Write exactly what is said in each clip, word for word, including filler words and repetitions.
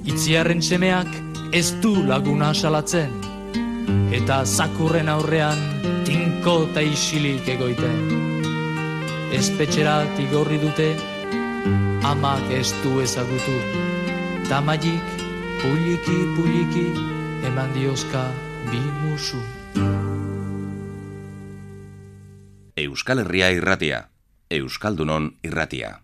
Itziarren semeak ez du laguna salatzen, eta zakurren aurrean tinko eta isilik egoiten. Espetxerat igorri dute, amak ez du ezagutu, tamailik puliki puliki eman diozka bi musu. Euskal Herria irratia, Euskaldunon irratia.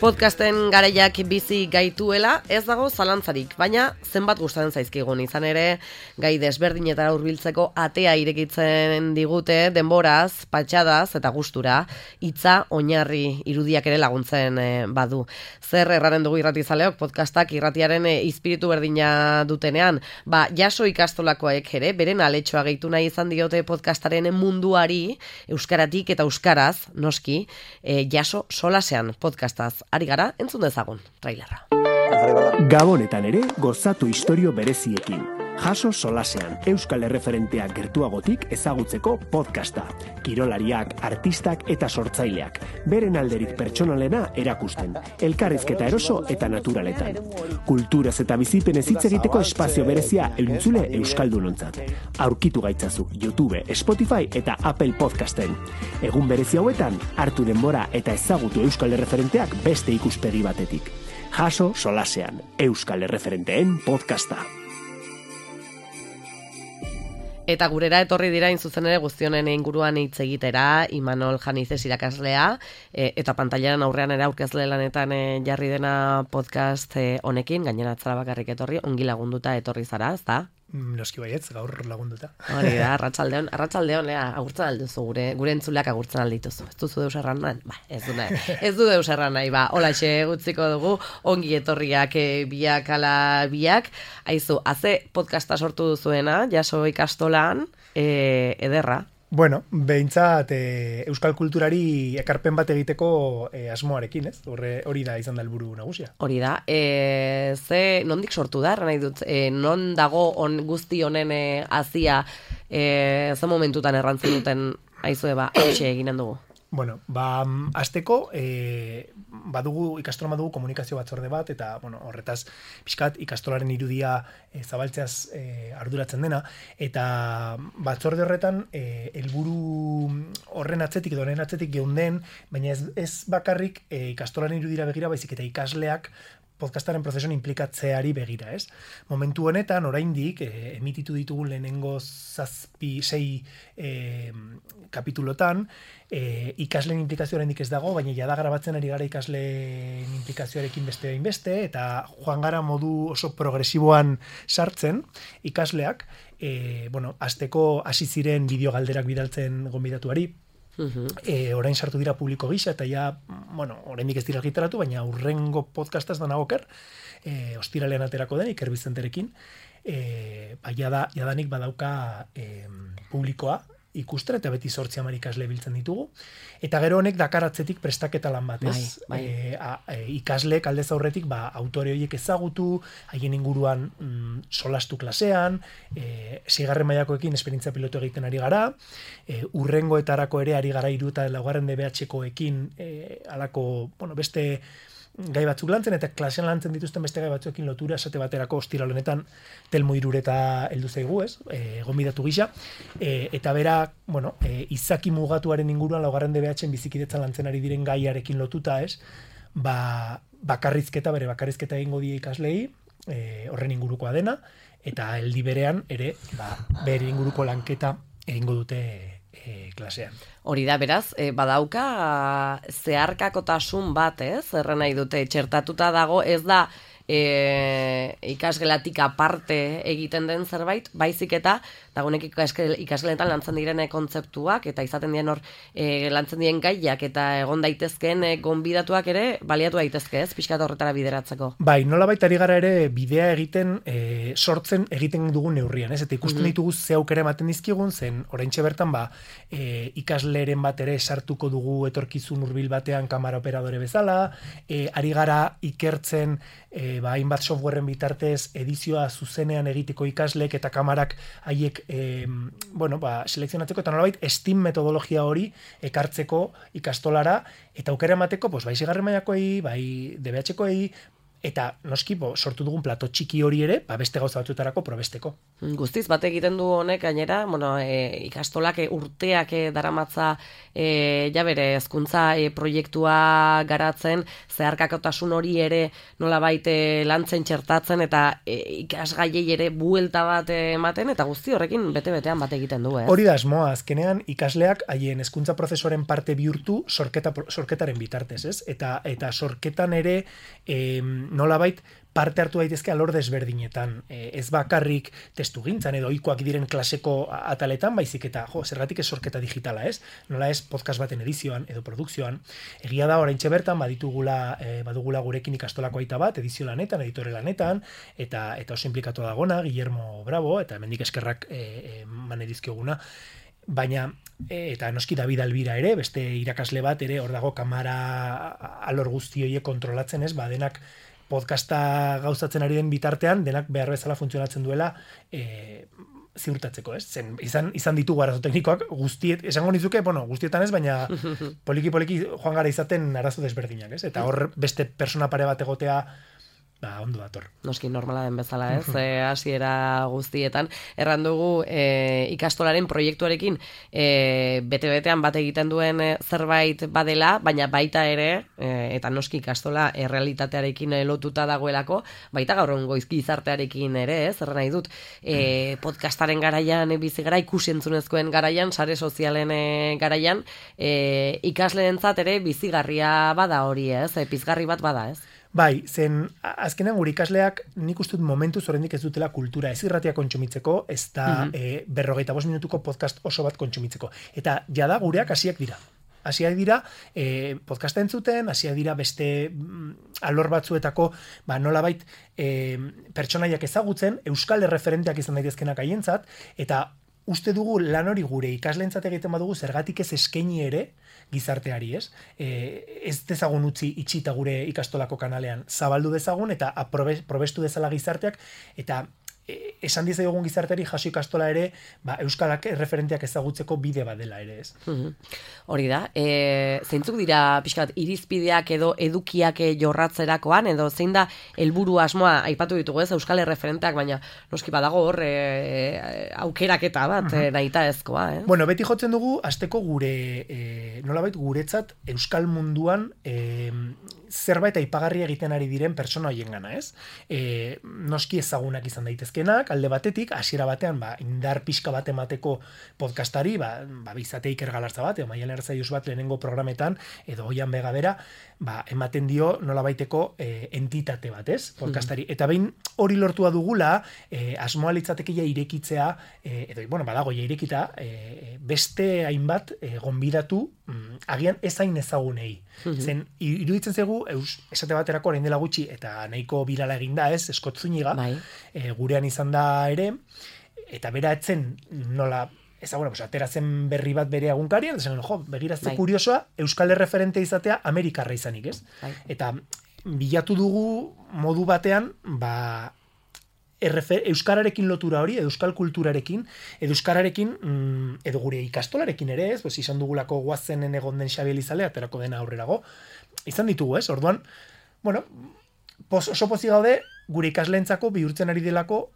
Podcasten garaiak bizi gaituela ez dago zalantzarik, baina zenbat gustatzen zaizkigun, izan ere gai desberdinetara hurbiltzeko atea irekitzen digute denboraz, patxadaz eta gustura, hitza oinarri irudiak ere laguntzen eh, badu. Zer erraren dugu irratizaleok podcastak irratiaren eh, izpiritu berdina dutenean, ba jaso ikastolakoek ere beren aletxoa gehitu nahi izan diote podcastaren munduari euskaratik eta euskaraz, noski, eh, jaso solasean podcastaz. Ari gara, entzun dezagun, trailerra. Gabonetan ere, gozatu istorio bereziekin. Jaso solasean, Euskal Erreferenteak gertuagotik ezagutzeko podcasta. Kirolariak, artistak eta sortzaileak. Beren alderik pertsonalena erakusten. Elkarrizketa eroso eta naturaletan. Kulturaz eta bizipenez hitz egiteko espazio berezia eluntzule Euskaldunontzat. Aurkitu gaitzazu YouTube, Spotify eta Apple Podcasten. Egun berezi hauetan, hartu denbora eta ezagutu Euskal Erreferenteak beste ikuspegi batetik. Jaso solasean, Euskal Erreferenteen podcasta. Eta gurera etorri dira inzuzen ere guztionen inguruan hitz egitera, Imanol Janizes irakaslea, e, eta pantailaren aurrean ere aurkezle lanetan e, jarri dena podcast e, honekin, gainera atzara bakarrik etorri, ongi lagunduta etorri zara, ez da? Noski baietz, gaur lagunduta. Hori da, arratsaldeon, arratsaldeon, lea, agurtzen alduzu gure, gure entzuleak agurtzen aldituzu. Ez duzu deus erran nahi? Ba, ez du nahi, ez du deus erran nahi, ba, holaxe gutziko dugu, ongi etorriak e, biak ala biak. Aizu, haze podcasta sortu duzuena, jaso ikastolan, e, ederra. Bueno, behintzat e, euskal kulturari ekarpen bat egiteko e, asmoarekin, ez? Horre, hori da izan da helburu nagusia. Hori da. E, ze nondik sortu da, nahi dut, e, non dago on guzti honen e, azia, e, ze momentutan errantzen duten aizue ba, hoxe eginen dugu. Bueno, ba, azteko, e, badugu, ikastolan badugu komunikazio batzorde bat, eta, bueno, horretaz, pixkat, ikastolaren irudia e, zabaltzeaz e, arduratzen dena, eta batzorde horretan, e, helburu horren atzetik, edo horren atzetik geunden, baina ez, ez bakarrik e, ikastolaren irudira begira, baizik eta ikasleak podcastaren prozesuan implikatzeari begira, ez? Momentu honetan, oraindik, e, emititu ditugun lehenengo zazpi, sei e, kapitulotan, e, ikasleen implikazio oraindik ez dago, baina jada grabatzen ari gara ikasleen implikazioarekin beste behin beste, eta joan gara modu oso progresiboan sartzen ikasleak, e, bueno, azteko hasi ziren bideo galderak bidaltzen gonbidatuari, Uh-huh. E, orain sartu dira publiko gisa, eta ja, bueno, oraindik ez dira argitaratu, baina urrengo podcastaz da nagoker, e, ostiralean aterako den, Iker Bizenterekin, e, ba, jada, jadanik badauka e, publikoa ikusten, eta beti zortzi hamar ikasle biltzen ditugu, eta gero honek dakaratzetik prestaketa lan bat, ez? Bai, bai. E, a, e, ikasleek aldez aurretik, ba, autore horiek ezagutu, haien inguruan mm, solastu klasean, e, seigarren mailakoekin esperientzia pilotu egiten ari gara, e, urrengoetarako ere ari gara hiru eta laugarren D B H-koekin e, alako, bueno, beste gai batzuk lantzen, eta klasean lantzen dituzten beste gai batzuekin lotura, esate baterako ostiral honetan Telmo Irureta heldu zaigu, ez? E, gonbidatu gisa, e, eta bera, bueno, e, izaki mugatuaren inguruan laugarren D B H-en bizikidetzan lantzen ari diren gaiarekin lotuta, ez? Ba, bakarrizketa, bere bakarrizketa egingo die ikaslei, e, horren ingurukoa dena, eta heldi berean ere, ba, bere inguruko lanketa egingo dute e, klasean. Hori da, beraz, e, badauka zeharkakotasun bat, ez? Erren nahi dute, txertatuta dago, ez da e, ikasgelatik aparte egiten den zerbait, baizik eta dagoenek ikasgeletan lantzen direne kontzeptuak, eta izaten dien hor e, lantzen dien gaiak, eta egon daitezkeen e, gonbidatuak ere baliatu daitezke, ez? Pixkat horretara bideratzeko. Bai, nolabait ari gara ere bidea egiten, e, sortzen egiten dugun neurrian, ez? Eta ikusten mm-hmm. ditugu ze aukera ematen dizkigun, zen oraintxe bertan ba, e, ikasleren bat ere sartuko dugu etorkizun hurbil batean kamera operadore bezala, e, ari gara ikertzen e, ba, hainbat softwareen bitartez edizioa zuzenean egiteko ikasleek eta kamarak haiek E, bueno, ba, selekzionatzeko eta nolabait Steam metodologia hori ekartzeko ikastolara eta aukera emateko, pues, bai zigarren mailakoei, bai D B H-koei, eta noski bo, sortu dugun plato txiki hori ere, ba, beste gauza batzuetarako probesteko. Guztiz, bat egiten du honek, gainera, bueno, e, ikastolak e, urteak e, daramatza e, ja bere hezkuntza e, proiektua garatzen, zeharkakotasun hori ere nolabait e, lantzen txertatzen, eta e, ikasgaiei ere buelta bat ematen, eta guzti horrekin bete-betean bat egiten du, ez? Hori da asmoa, azkenean ikasleak haien hezkuntza prozesuaren parte bihurtu sorketa, sorketaren bitartez, ez? Eta, eta sorketan ere e, nolabait parte hartu daitezke alor desberdinetan, e, ez bakarrik testu gintzan edo ohikoak diren klaseko ataletan, baizik eta, jo, zergatik ez sorketa digitala, ez? Nola ez podcast baten edizioan edo produkzioan. Egia da oraintxe bertan baditugula, e, badugula gurekin ikastolako aita bat, edizio lanetan, editore lanetan, eta eta oso implikatu dagona, Guillermo Bravo, eta hemendik eskerrak e, e, man edizkioguna. Baina, e, eta noski David Albira ere, beste irakasle bat ere, hor dago kamera alor guzti horiek kontrolatzen, ez? Ba, denak podcasta gauzatzen ari den bitartean, denak behar bezala funtzionatzen duela e, ziurtatzeko, ez? Zen, izan, izan ditugu arazo teknikoak guztiet, esango nizuke, bueno, guztietan ez, baina poliki-poliki joan gara izaten arazo desberdinak, ez? Eta hor beste persona pare bat egotea, ba, ondo dator. Noski normala den bezala, ez? E, hasiera guztietan. Erran dugu e, ikastolaren proiektuarekin e, bete-betean bat egiten duen e, zerbait badela, baina baita ere, e, eta noski ikastola errealitatearekin lotuta dagoelako, baita gaur egun gizartearekin ere, ez? Erran nahi dut, e, podcastaren garaian, e, bizi gara, ikusentzunezkoen garaian, sare sozialen e, garaian, e, ikasleentzat ere bizigarria bada hori, ez? E, pizgarri bat bada, ez? Bai, zen azkenean gure ikasleak nik uste dut momentuz oraindik ez dutela kultura ez irratia kontsumitzeko, ez da mm-hmm. e, berrogeita bost minutuko podcast oso bat kontsumitzeko. Eta jada gureak hasiak dira. Hasiak dira e, podcasta entzuten, hasiak dira beste mm, alor batzuetako ba, nolabait e, pertsonaiak ezagutzen, euskal erreferenteak izan daitezkenak haientzat, eta uste dugu lan hori gure ikasleentzat egiten badugu zergatik ez eskaini ere gizarteari, ez? E, ez dezagun utzi itxita gure ikastolako kanalean zabaldu dezagun eta aprobe, probestu dezala gizarteak eta esan dizaiogun gizarteari jaso ikastola ere, ba, euskalak erreferenteak ezagutzeko bide bat dela ere, ez? Hori da, e, zeintzuk dira pixkat irizpideak edo edukiak jorratzerakoan, edo zein da helburu asmoa aipatu ditugu ez, euskal erreferenteak, baina noski badago hor e, aukeraketa bat, uh-huh. nahita ezkoa, eh? Bueno, beti jotzen dugu, azteko gure, e, nolabait guretzat, euskal munduan, e, zerbait aipagarri egiten ari diren pertsona hoien gana, ez? E, noski ezagunak izan daitezkenak, alde batetik, hasiera batean, ba, indar pixka bat emateko podcastari, ba, ba bizate Iker Galarza bat, edo Maialen Arzaius bat lehenengo programetan, edo Oian Bega bera, ba, ematen dio nolabaiteko e, entitate bat, ez? Podcastari. Eta behin hori lortua dugula, e, asmoa litzatekia irekitzea, e, edo, bueno, badago, ja irekita, e, beste hainbat e, gonbidatu, mm, agian ezain ezagunei. Zen, iruditzen zegu, eus, esate baterako orain dela gutxi, eta nahiko birala eginda ez, Scott Zúñiga, bai. e, gurean izan da ere, eta bera etzen nola, ezaguna, pues, atera zen berri bat bere agunkarian, eta zen, jo, begirazte bai. Kuriosoa, euskal erreferente izatea Amerikarra izanik, ez? Bai. Eta bilatu dugu modu batean, ba, Errefer, euskararekin lotura hori, euskal kulturarekin, edo euskararekin, mm, edo gure ikastolarekin ere, ez, pues, izan dugulako guazenen egon den Xabi Elizalea, aterako dena aurrerago, izan ditugu, ez, orduan, bueno, pos, oso pozik gaude, gure ikasleentzako bihurtzen ari delako,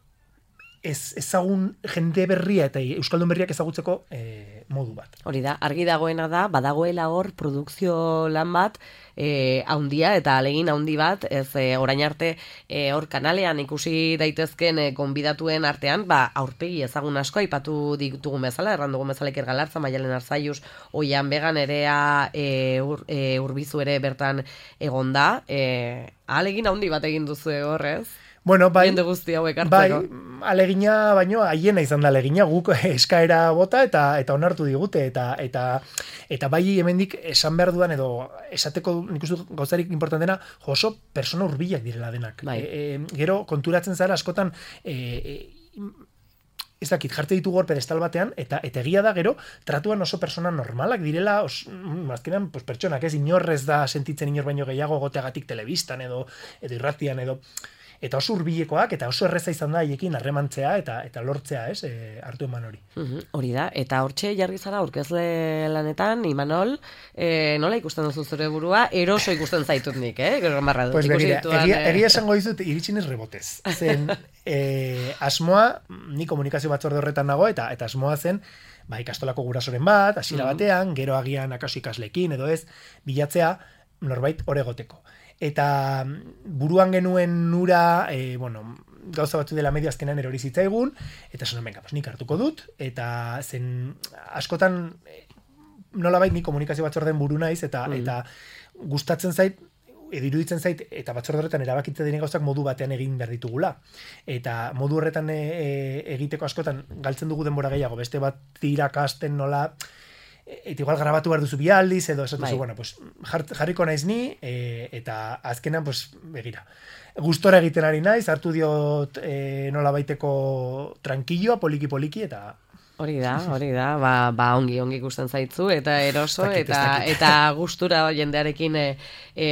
ez, ezagun jende berria eta euskaldun berriak ezagutzeko e, modu bat. Hori da, argi dagoena da, badagoela hor produkzio lan bat, E, haundia eta alegin haundi bat, ez e, orain arte e, hor kanalean ikusi daitezken e, konbidatuen artean, ba, aurpegi ezagun asko aipatu ditugun bezala, errandugun bezala Iker Galarza, Maialen Arzaius, Oian Bega, Nerea e, ur, e, Urbizu ere bertan egonda, e, alegin haundi bat egin duzu horrez. Bueno, bai, jende guzti hauek hartzeko. Bai, alegina, baino haiena izan da alegina, guk eskaera bota eta eta onartu digute, eta eta eta bai hemendik esan behar dudan, edo esateko nik uste gauzarik importantena, jo, oso persona hurbilak direla denak. Bai. E, e, gero konturatzen zara askotan, e, e, ez dakit, jartze ditugu hor pedestal batean, eta eta egia da gero, tratuan oso persona normalak direla, os, azkenean, pues, pertsonak, ez, inorrez da sentitzen inor baino gehiago goteagatik telebistan, edo, edo irratian, edo eta oso hurbilekoak, eta oso erreza izan da haiekin harremantzea eta eta lortzea, ez, e, hartu eman hori. Uh-huh, hori da, eta hortxe jarri zara aurkezle lanetan, Imanol, e, nola ikusten duzu zure burua, eroso ikusten zaitut nik, eh? Gero marra dut. Pues begira, egia, egia esango dizut iritsinez rebotez. Zen, e, asmoa, ni komunikazio batzorde horretan nago, eta eta asmoa zen, ba, ikastolako gurasoren bat, hasiera uh-huh. batean, gero agian akaso ikaslekin, edo ez, bilatzea, norbait hor egoteko. Eta buruan genuen nura, e, bueno, gauza batzu dela medio azkenan erori zitzaigun, eta esan, venga, pues, nik hartuko dut, eta zen askotan nolabait ni komunikazio batzorden buru naiz, eta, mm. eta gustatzen zait, edo iruditzen zait, eta batzorde horretan erabakitze diren gauzak modu batean egin behar ditugula. Eta modu horretan e, e, egiteko askotan galtzen dugu denbora gehiago, beste bat irakasten nola, eta igual grabatu behar duzu bialdiz, edo esatu zu, bueno, pues, jarriko naiz ni, e, eta azkenan, pues, begira. Gustora egiten ari naiz, hartu diot e, nola baiteko tranquilloa, poliki-poliki, eta Hori da, hori da, ba, ba ongi ongi ikusten zaitzu, eta eroso, dakit, eta eta gustura jendearekin e, e,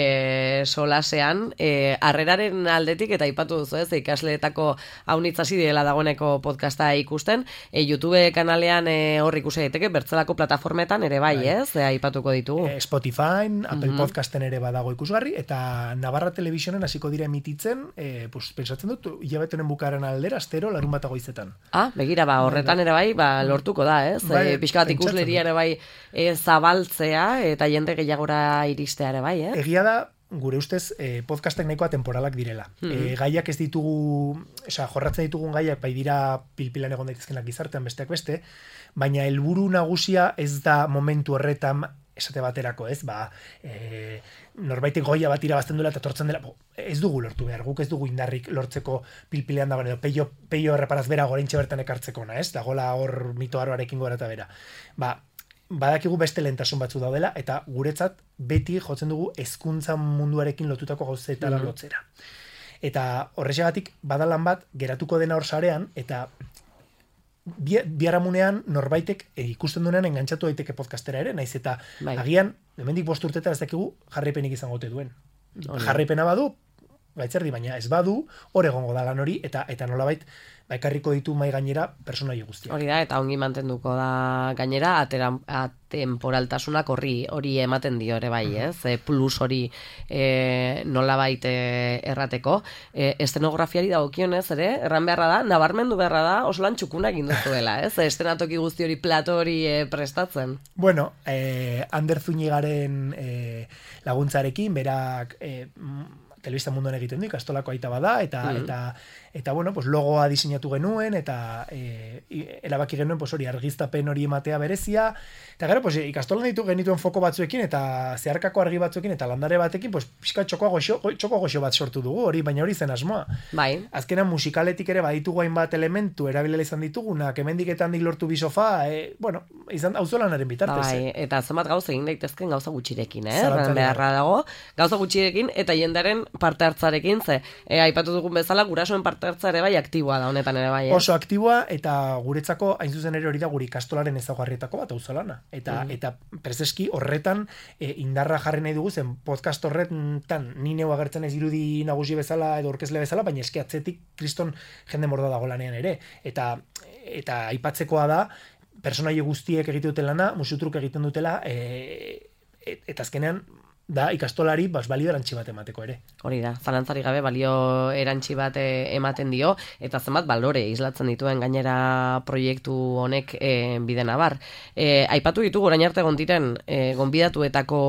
solasean, e, harreraren aldetik, eta aipatu duzu ez, ikasleetako haunitzasi direla dagoeneko podcasta ikusten, e, YouTube kanalean e, hor ikusi daiteke, bertzelako plataformetan ere bai, bai. ez, e, aipatuko ditugu. E, Spotify, Apple mm-hmm. Podcasten ere badago ikusgarri, eta Navarra Televisionen hasiko dira emititzen, e, pues, pensatzen dut, hilabetenen bukaaren aldera, astero, larun bat goizetan. Ah, begira, ba, horretan ere bai, ba, lortuko da, ez? Bai, e, pixka bat ikusleria ere bai e, zabaltzea eta jende gehiagora iristea ere bai, eh? Egia da, gure ustez, eh, podcastek nahikoa temporalak direla. Mm-hmm. E, gaiak ez ditugu, oza, jorratzen ditugun gaiak, bai dira pilpilan egon daitezkenak gizartean besteak beste, baina helburu nagusia ez da momentu horretan esate baterako, ez? Ba, e, norbaitek goia bat irabazten duela eta tortzen dela, bo, ez dugu lortu behar, guk ez dugu indarrik lortzeko pilpilean dagoen, edo peio, peio erreparaz bera goreintxe bertan ekartzeko, na, ez? Dagola hor mito aroarekin gora eta bera. Ba, badakigu beste lehentasun batzu daudela, eta guretzat beti jotzen dugu hezkuntza munduarekin lotutako gauzetara mm-hmm. lotzera. Eta horrexegatik badalan bat geratuko dena hor sarean, eta biharamunean norbaitek e, ikusten duenean engantzatu daiteke podcastera ere, naiz eta bai. Agian, hemendik bost urteta ez dakigu jarraipenik izango ote duen. Oli. Jarraipena badu, gaitzerdi, baina ez badu, hor egongo da lan hori, eta eta nolabait, ba, ekarriko ditu mai gainera personaia guztiak. Hori da, eta ongi mantenduko da gainera, atera, atemporaltasunak horri hori ematen dio ere bai, ez? E, plus hori e, nolabait e, errateko. E, estenografiari dagokionez ere, erran beharra da, nabarmendu beharra da, oso lan txukuna egin duzuela, ez? Estenatoki guzti hori, plato hori e, prestatzen. Bueno, eh, Ander Zunigaren eh, laguntzarekin, berak eh, telebista munduan egiten du, ikastolako aita bada, eta, mm. eta, eta bueno, pues logoa diseinatu genuen, eta e, erabaki genuen pues hori argiztapen hori ematea berezia, eta gero, pues, ikastolan ditu genituen foko batzuekin, eta zeharkako argi batzuekin, eta landare batekin, pues, pixka txoko goxo, txoko goxo bat sortu dugu, hori, baina hori zen asmoa. Bai. Azkenan musikaletik ere baditugu hainbat elementu erabilela izan ditugunak, hemendik eta handik lortu bi sofa, e, bueno, izan auzolanaren bitartez. Bai, eh? eta zenbat gauza egin daitezken gauza gutxirekin, eh? Zalantzari Beharra dago, gauza gutxirekin eta jendaren parte hartzarekin, ze, e, aipatu dugun bezala, gurasoen parte hartza ere bai aktiboa da honetan ere bai. Eh? Oso aktiboa, eta guretzako hain zuzen ere hori da guri ikastolaren ezaugarrietako bat auzolana. Eta, mm. eta prezeski horretan e, indarra jarri nahi dugu, zen podcast horretan ni neu agertzen ez irudi nagusi bezala edo orkezle bezala, baina eski atzetik kriston jende morda dago lanean ere. Eta, eta aipatzekoa da, personaie guztiek egiten duten lana, musutruk egiten dutela, e, et, eta azkenean, da ikastolari bas balio erantzi bat emateko ere. Hori da, zalantzari gabe balio erantzi bat ematen dio, eta zenbat balore islatzen dituen gainera proiektu honek e, bide nabar. E, aipatu ditugu orain arte gontiren e, gonbidatuetako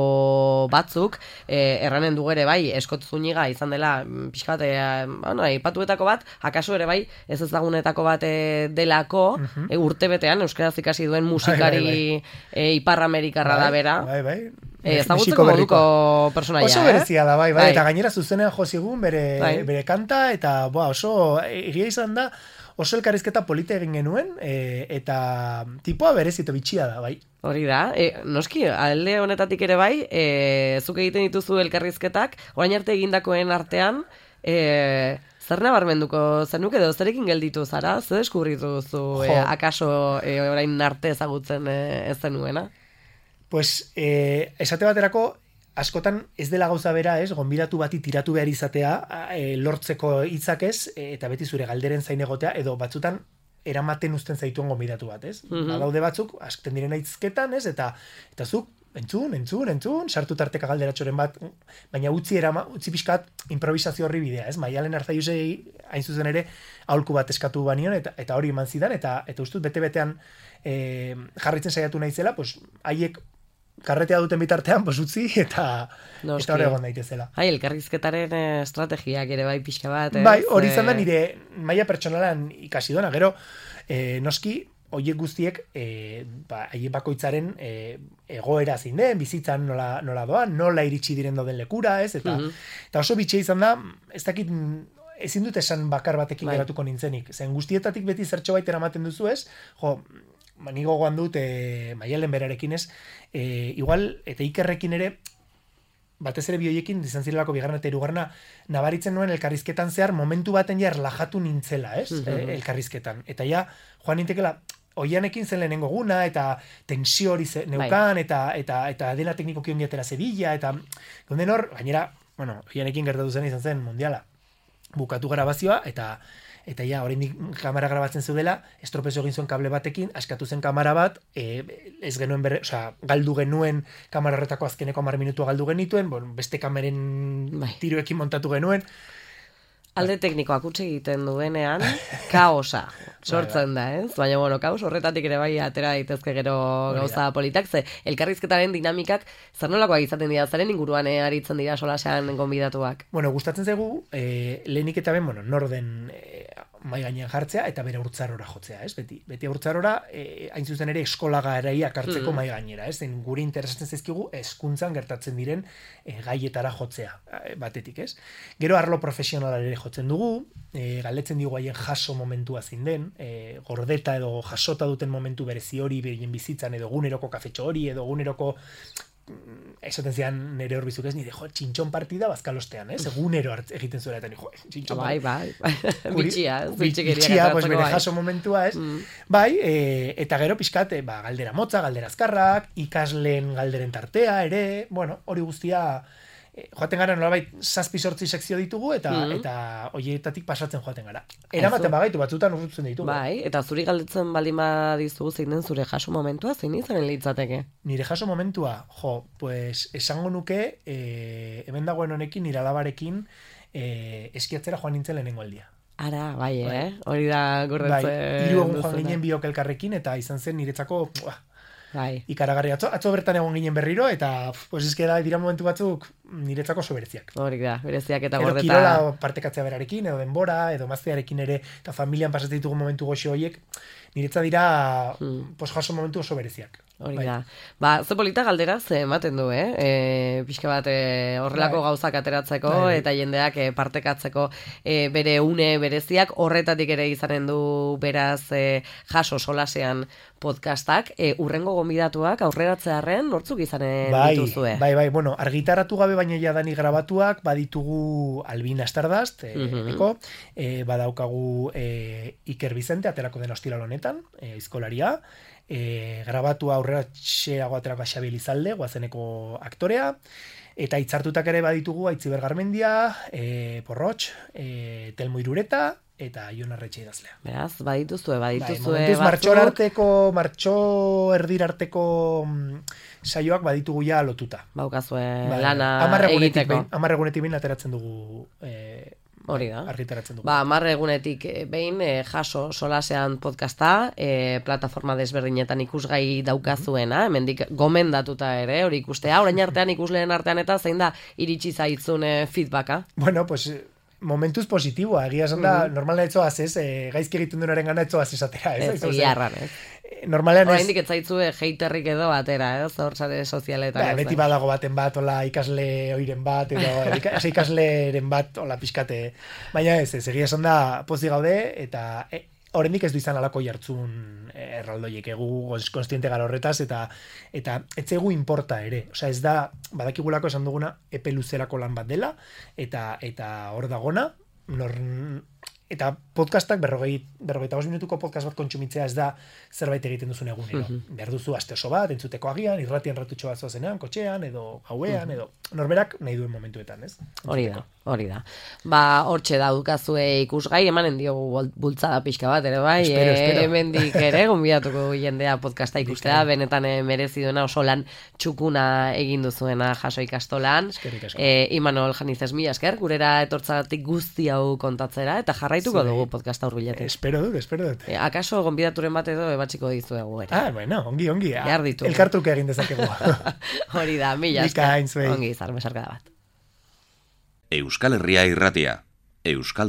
batzuk, e, erranen dugu ere bai, Eskot Zuniga izan dela, pixkat, e, bueno, aipatuetako bat, akaso ere bai, ez ezagunetako bat e, delako, uh-huh. e, urtebetean, euskaraz ikasi duen musikari bai, bai, bai. E, Ipar Amerikarra da bera. Bai, bai. Eh, ezagutzeko moduko personaia, oso berezia da, bai, bai, bai. Eta gainera zuzenean jo zigun bere, bai. bere kanta, eta boa, oso egia izan da, oso elkarrizketa polita egin genuen, e, eta tipoa berezito bitxia da, bai. Hori da, e, noski, alde honetatik ere bai, e, zuk egiten dituzu elkarrizketak, orain arte egindakoen artean, e, zer nabarmenduko zenuk edo zerekin gelditu zara, zer deskubritu duzu, e, akaso e, orain arte ezagutzen e, ez zenuena? Pues, eh, esate baterako, askotan ez dela gauza bera, ez, gonbidatu bati tiratu behar izatea, e, lortzeko hitzak ez, e, eta beti zure galderen zain egotea, edo batzutan eramaten uzten zaituen gonbidatu bat, ez? Mm-hmm. Badaude batzuk, askten diren aitzketan, ez, eta, eta zuk, entzun, entzun, entzun, sartu tarteka galderatxoren bat, baina utzi, erama, utzi pixkat improvisazio horri bidea, ez? Maialen Arzaiusei hain zuzen ere, aholku bat eskatu banion, eta, eta hori eman zidan, eta, eta ustut bete-betean e, jarritzen saiatu naizela, pues, haiek karretea duten bitartean, pues utzi, eta no, eta hori egon daitezela. Hai, elkarrizketaren estrategiak ere bai pixka bat, ez? Bai, hori izan da nire maila pertsonalan ikasi dona, gero, eh, noski, hoiek guztiek, eh, ba, haien bakoitzaren eh, egoera zein den, bizitzan nola, nola doan, nola iritsi diren doden lekura, ez? Eta, mm-hmm. eta oso bitxia izan da, ez dakit, ezin dut esan bakar batekin bai. Geratuko nintzenik. Zen guztietatik beti zertxo baita eramaten duzu, ez? Jo, ni gogoan dut e, Maialen berarekin ez, e, igual, eta Ikerrekin ere, batez ere bioiekin, izan zirelako bigarren eta hirugarrena, nabaritzen nuen elkarrizketan zehar, momentu baten ja erlajatu nintzela, ez? Mm-hmm. e, elkarrizketan. Eta ja, joan nintekela, oianekin zen lehenengo guna, eta tensio hori neukan, eta, eta, eta dena teknikoki ondiatera zebila, eta gonden hor, gainera, bueno, oianekin gertatu zen izan zen mundiala. Bukatu grabazioa, eta eta ja, oraindik kamera grabatzen zeudela, estropezo egin zuen kable batekin, askatu zen kamera bat, e, ez genuen berre, osea, galdu genuen kamera horretako azkeneko hamar minutua galdu genituen, bon, beste kameren bai. Tiroekin montatu genuen. Alde teknikoak utzi egiten duenean, kaosa sortzen da, ez? Baina, bueno, kaos horretatik ere bai atera daitezke gero gauza politak, ze elkarrizketaren dinamikak zer nolakoak izaten dira, zaren inguruan eh, aritzen dira solasean gonbidatuak? Bueno, gustatzen zaigu, eh, lehenik eta ben, bueno, norden eh, mai gainean jartzea eta bere urtzarora jotzea, ez? Beti, beti urtzarora, eh, hain zuzen ere eskolagaraia hartzeko mm. mai gainera, ez? Zen guri interesatzen zaizkigu hezkuntzan gertatzen diren eh, gaietara jotzea, eh, batetik, ez? Gero arlo profesionalare jotzen dugu, e, galdetzen digu haien jaso momentua zein den, e, gordeta edo jasota duten momentu berezi hori berien bizitzan, edo eguneroko kafetxo hori, edo eguneroko esaten zian nire hor bizuk ez, nire, jo, txintxon partida bazkalostean, ez? Egunero egiten zuela, eta nire, jo, txintxon bai, bai, bai, bitxia, bitxia, pues bere jaso momentua, ez? Mm. Bai, e, eta gero pixkat, e, ba, galdera motza, galdera azkarrak, ikasleen galderen tartea, ere, bueno, hori guztia joaten gara nolabait zazpi sortzi sekzio ditugu, eta Mhm. eta hoietatik pasatzen joaten gara. Eramaten bagaitu, batzutan urrutzen ditugu. Bai, eta zuri galdetzen baldin badizu zein den zure jaso momentua, zein izanen litzateke? Nire jaso momentua, jo, pues esango nuke, eh, hemen dagoen honekin, nire alabarekin, eh, eskiatzera joan nintzen lehenengo aldia. Ara, bai, Bai. eh? Hori da Bai, gorretzen hiru egun joan duzuna. ginen biok elkarrekin, eta izan zen niretzako, buah, Bai. ikaragarri. Atzo, atzo bertan egon ginen berriro, eta pf, pues eske da, dira momentu batzuk niretzako oso bereziak. Hori da, bereziak eta Edo gordeta. kirola partekatzea berarekin, edo denbora, edo maztearekin ere, eta familian pasatzen ditugu momentu goxo horiek, niretza dira, Hmm. pues jaso momentu oso bereziak. Hori Bai. da. Ba, ze polita galdera ze ematen du, eh? E, pixka bat e, horrelako Bai. gauzak ateratzeko Bai, bai. eta jendeak e, partekatzeko e, bere une bereziak, horretatik ere izanen du beraz e, jaso solasean podcastak, e, urrengo gonbidatuak aurreratzearren nortzuk izanen Bai, dituzue. bai, bai, bueno, argitaratu gabe baina jadani grabatuak, baditugu Albina Stardust, e, Mhm. eko, e, badaukagu e, Iker Bizente, aterako den ostiral honetan, e, aizkolaria, e, grabatua aurreratxeago aterako Xabi Elizalde, guazeneko aktorea, eta hitzartutak ere baditugu Aitziber Garmendia, e, Porrotx, e, Telmo Irureta, eta Jon Arretxe idazlea. Beraz, badituzue, Bai, badituzue momentuz martxor batzuk. arteko, martxo erdir arteko mm, saioak baditugu ja lotuta. Baukazue Bai, lana hamar egunetik egiteko. behin- hamar egunetik behin ateratzen dugu, eh, Hori da. argitaratzen dugu. Ba, hamar egunetik eh, behin eh, jaso solasean podcasta, eh, plataforma desberdinetan ikusgai daukazuena, hemendik gomendatuta ere, hori ikustea, orain artean ikusleen artean eta zein da iritsi zaitzun eh, feedbacka. Bueno, pues eh, momentuz positiboa, egia esan da, normalean etzoaz ez, eh, gaizki egiten duenaren gana etzoaz esatera, ez? Ez, Aizu, egia ze- erran, ez? eh, Normalean ez, Oraindik ez zaitzue heiterrik edo atera, ez? Hor sare sozialetan. ba, ez, beti eh? badago baten bat, ola ikasle oiren bat, edo ika- ikasleren bat, ola pixkate, baina ez, ez, egia esan da, pozik gaude, eta e, oraindik ez du izan alako jartzun eh, erraldoiek egu goz- konstiente gara horretaz, eta eta etzegu importa ere. Osea, ez da, badakigulako esan duguna, epe luzerako lan bat dela, eta eta hor dagona, nor, eta podcastak berrogei, berrogeita bost minutuko podcast bat kontsumitzea ez da zerbait egiten duzun egunero. Behar duzu aste oso bat, entzuteko agian, irratian ratutxo bat zoazenean, kotxean, edo gauean, edo norberak nahi duen momentuetan, ez? Hori da, hori da. Ba, hortxe daukazue ikusgai, emanen diogu bol- bultzada pixka bat, ere bai, Espero, eh, espero. hemendik ere, gonbidatuko jendea podcasta ikustea, benetan eh, merezi duena oso lan txukuna egin duzuena jaso ikastolan. Eskerrik asko. Eh, Imanol Janizez mila esker, gurera etortzagatik guzti hau kontatzera, eta jarraituko Zuei. dugu podcasta hurbiletik. Espero dut, espero dut. Eh, akaso gonbidaturen bat edo ebatxiko dizuegu ere. Ah, bueno, ongi, ongi. ah, Behar ditugu. Elkartruke egin dezakegu. Hori da, mila esker. Bikain, zuei. Ongi izan, besarkada bat. Euskal Herria irratia. Euskal